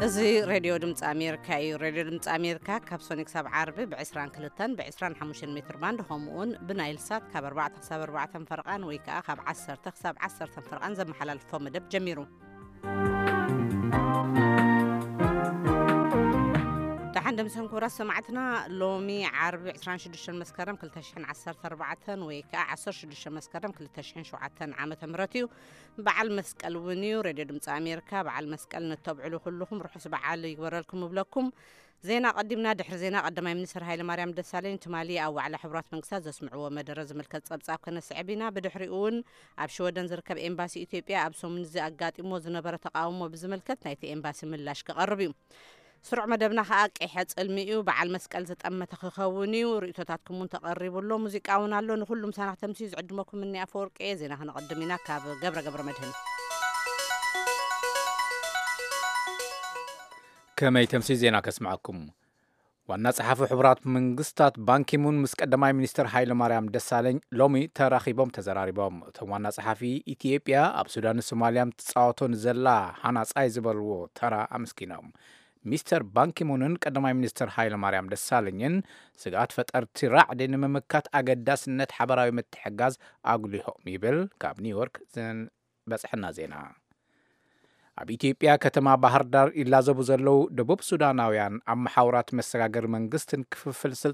እዚ ሬድዮ ድምፂ ኣሜሪካ እዩ። ሬድዮ ድምፂ ኣሜሪካ ካብ ሶኒ ክሳብ ዓርቢ ብ22ን ብ25 ሜትር ባንድ፣ ከምኡውን ብናይል ሳት ካብ ኣርባዕተ ክሳብ ኣርባዕተ ፈርቓን ወይ ከዓ ካብ ዓሰርተ ክሳብ ዓሰርተ ፈርቓን ዘመሓላልፎ መደብ ጀሚሩ። ደሓን ደምሰን ክቡራት ሰማዕትና፣ ሎሚ ዓርቢ 26 መስከረም 2014 ወይ ከዓ 16 መስከረም 2007 ዓመተ ምህረት እዩ። በዓል መስቀል እውን እዩ። ሬድዮ ድምፂ ኣሜሪካ በዓል መስቀል ነተብዕሉ ኩልኹም ርሑስ በዓል ይግበረልኩም እብለኩም። ዜና ቀዲምና። ድሕሪ ዜና ቀዳማይ ሚኒስትር ሃይለ ማርያም ደሳለኝ ትማሊ ኣብ ዋዕላ ሕቡራት መንግስታት ዘስምዕዎ መደረ ዝምልከት ጸብጻብ ከነስዕብ ኢና። ብድሕሪኡ እውን ኣብ ሽወደን ዝርከብ ኤምባሲ ኢትዮጵያ ኣብ ሰሙን እዚ ኣጋጢሞ ዝነበረ ተቃውሞ ብዝምልከት ናይቲ ኤምባሲ ምላሽ ክቐርብ እዩ። ስሩዕ መደብና ከኣ ቀይሐ ጽልሚ እዩ። በዓል መስቀል ዝጠመተ ክኸውን እዩ። ርእቶታትኩም እውን ተቐሪቡ ኣሎ። ሙዚቃ እውን ኣሎ። ንኹሉም ሳና ክተምስዩ ዝዕድመኩም እኒ ኣፈወርቂ እየ። ዜና ክነቐድም ኢና ካብ ገብረ ገብረ መድህን። ከመይ ተምሲ ዜና ከስምዐኩም። ዋና ጸሓፊ ሕቡራት መንግስታት ባንኪሙን ምስ ቀዳማይ ሚኒስትር ሃይለ ማርያም ደሳለኝ ሎሚ ተራኺቦም ተዘራሪቦም። እቶም ዋና ጸሓፊ፣ ኢትዮጵያ ኣብ ሱዳንን ሶማልያን ትጻወቶ ንዘላ ሃናጻይ ዝበልዎ ተራ ኣመስጊኖም። ሚስተር ባንኪሙንን ቀዳማይ ሚኒስትር ሃይለ ማርያም ደሳለኝን ስግኣት ፈጠርቲ ራዕዲ ንምምካት ኣገዳስነት ሓበራዊ ምትሕጋዝ ኣጉሊሆም ይብል ካብ ኒውዮርክ ዝበጽሐና ዜና። ኣብ ኢትዮጵያ ከተማ ባህር ዳር ይላዘቡ ዘለዉ ደቡብ ሱዳናውያን ኣብ መሓውራት መሰጋገሪ መንግስትን ክፍፍል